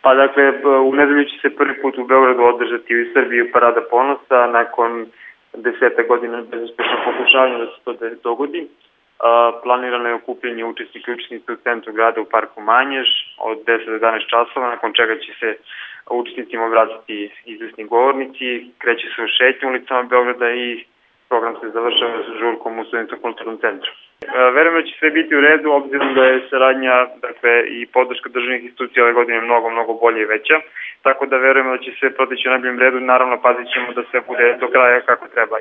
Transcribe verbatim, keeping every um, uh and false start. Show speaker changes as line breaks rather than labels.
Pa dakle, u nedelju će se prvi put u Beogradu održati u Srbiji Parada ponosa, nakon deseta godina bezuspešnog pokušavanja da se to dogodi. Planirano je okupljanje učesnika i učesnica u centru grada u parku Manjež od deset do jedanaest časova, nakon čega će se učesnicima obratiti izvesni govornici, kreće se u šetnju ulicama Beograda i program se završava sa žurkom u Studensko-kulturnom centru. Verujem da će sve biti u redu, obzirom da je saradnja, dakle, i podrška državnih institucija ove godine mnogo, mnogo bolje i veća, tako da verujem da će sve proteći u najboljem redu, naravno pazit ćemo da sve bude do kraja kako treba.